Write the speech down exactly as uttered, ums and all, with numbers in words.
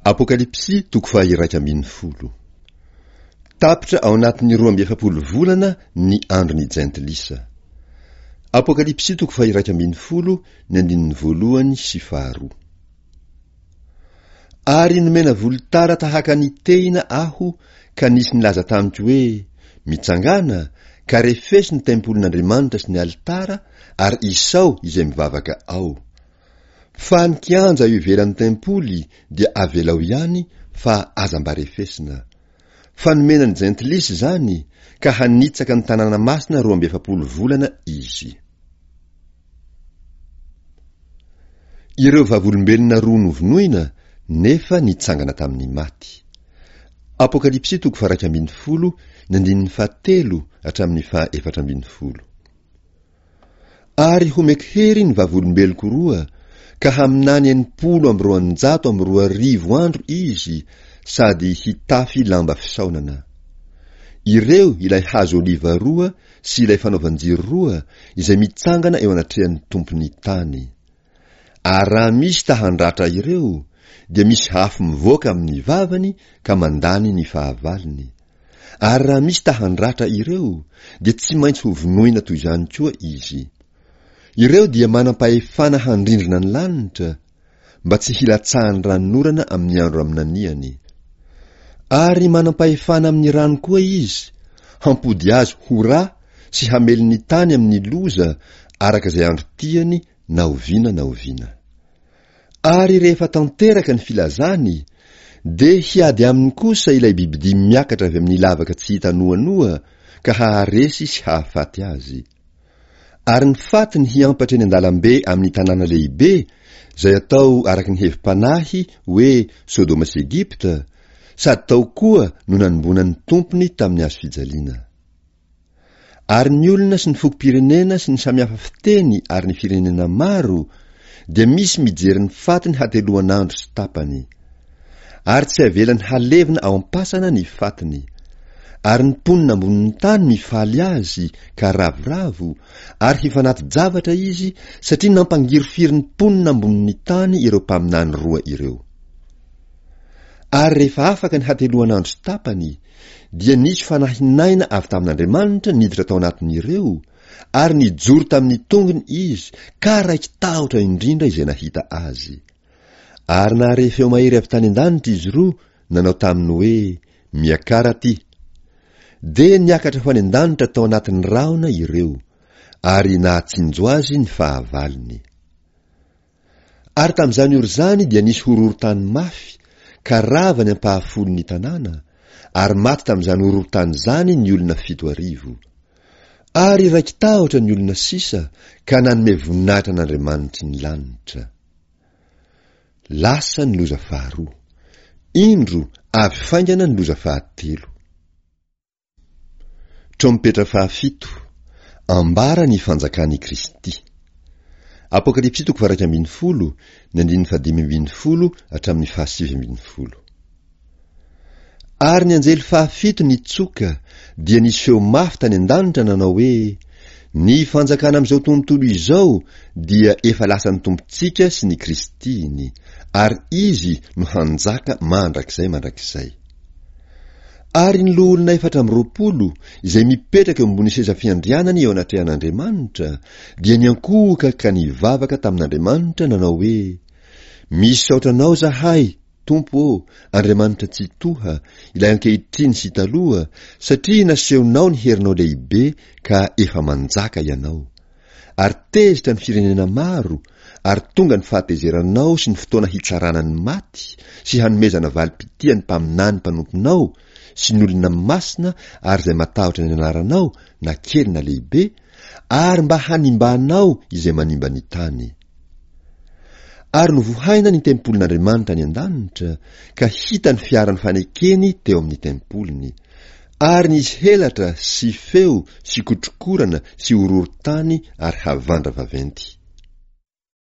Apokalypsy toko faha-iraika ambin'ny folo. Tapitra ao anatin'ny roa amby efapolo volana ny andron'ny jentilisa. Apokalypsy toko faha-iraika ambin'ny folo, ny andininy voalohany sy faharoa. Ary nomena volotara tahaka ny tehina aho ka nisy nilaza tamiko hoe, Mitsangàna, ka refeso ny tempolin'Andriamanitra sy ny alitara, ary isao izay mivavaka ao. Fa ny kianja eo ivelan'ny tempoly dia avelao ihany fa aza mba refesina. Fa nomena ny jentilisa izany, ka hanitsaka ny tanàna masina roa amby efapolo volana izy. Ireo vavolombelona roa novonoina nefa nitsangana tamin'ny maty. Apokalypsy toko faha-iraika ambin'ny folo, ny andininy fahatelo hatramin'ny faha-efatra ambin'ny folo. Ary homeko hery ny vavolombeloko roa, ka haminany enimpolo amby roanjato amby roa arivo andro izy sady hitafy lamba fisaonana. Ireo ilay hazo oliva roa sy ilay fanaovan-jiro roa izay mitsangana eo anatrehan'ny Tompon'ny tany. Ary raha misy ta handratra ireo, dia misy afo mivoaka amin'ny vavany ka mandany ny fahavalony. Ary raha misy ta handratra ireo, dia tsy maintsy hovonoina toy izany koa izy. Ireo dia manam-pahefana handrindrina ny lanitra, mba tsy hilatsahan'ny ranonorana amin'ny andro aminaniany. Ary manam-pahefana amin'ny rano koa izy, hampody azy ho ra sy hamely ny tany amin'ny loza araka izay andro tiany na oviana na oviana. Ary rehefa tanteraka ny filazany, dia hiady aminy kosa ilay bibidia miakatra avy amin'ny lavaka tsy hita noanoa ka haharesy sy hahafaty azy. Ary ny fatiny hiampatra eny an-dalambe amin'ny tanàna lehibe, izay atao araka ny hevi-panahy hoe Sodoma sy Egypta, sady tao koa no nanomboana ny Tompony tamin'ny hazo fijaliana. Ary ny olona sy ny fokom-pirenena sy ny samihafa fiteny ary ny firenena maro dia misy mijery ny fatiny hateloan'andro sy tapany. Ary tsy avelany halevina ao am-pasana ny fatiny. Ary ny mponina ambonin'ny tany mifaly azy ka ravoravo, ary hifanati-javatra izy satria nampangirifiry ny mponina ambonin'ny tany ireo mpaminany roa ireo. Ary rehefa afaka ny hateloan'andro sy tapany, dia nisy fanahin'aina avy tamin'Andriamanitra niditra tao anatin'ireo, ary nijoro tamin'ny tongony izy, ka raiki-tahotra indrindra izay nahita azy. Ary nahare feo mahery avy tany an-danitra izy roa nanao taminy hoe, Miakara aty. Dia niakatra ho any an-danitra tao anatin'ny rahona ireo, ary nahatsinjo azy ny fahavalony. Ary tamin'izany ora izany dia nisy horohorontany mafy, ka rava ny ampahafolon'ny tanàna, ary maty tamin'izany horohorontany izany ny olona fito arivo. Ary raiki-tahotra ny olona sisa ka nanome voninahitra an'Andriamanitry ny lanitra. Lasa ny loza faharoa. Indro avy faingana ny loza fahatelo. Trompetra fahafito, Ambara ny fanjakan' i Kristy. Apokalypsy toko faha-iraika ambin'ny folo, ny andininy fahadimy ambin'ny folo hatramin'ny fahasivy ambin'ny folo. Ary ny anjely fahafito nitsoka, dia nisy feo mafy tany an-danitra nanao hoe, Ny fanjakana amin'izao tontolo izao dia efa lasan'ny Tompontsika sy ny Kristiny, ary Izy no hanjaka mandrakizay mandrakizay. Ary ny loholona efatra amby roapolo, izay mipetraka eo ambony seza fiandrianany eo anatrehan'Andriamanitra, dia niankohoka ka nivavaka tamin'Andriamanitra nanao hoe, Misaotra Anao izahay, Tompo ô, Andriamanitra Tsitoha, ilay ankehitriny sy taloha, satria nasehonao ny herinao lehibe ka efa manjaka Ianao. Ary tezitra ny firenena maro, ary tonga ny fahatezeranao sy ny fotoana hitsarana ny maty, sy hanomezana valim-pitia ny mpaminany mpanomponao, sy ny olona masina ary izay matahotra ny anaranao, na kely na lehibe, ary mba hanimbanao izay manimba ny tany. Ary novohaina ny tempolin'Andriamanitra any an-danitra, ka hita ny fiaran'ny fanekeny teo amin'ny tempoliny. Ary nisy helatra sy feo sy kotrokorana sy horohorontany ary havandra vaventy.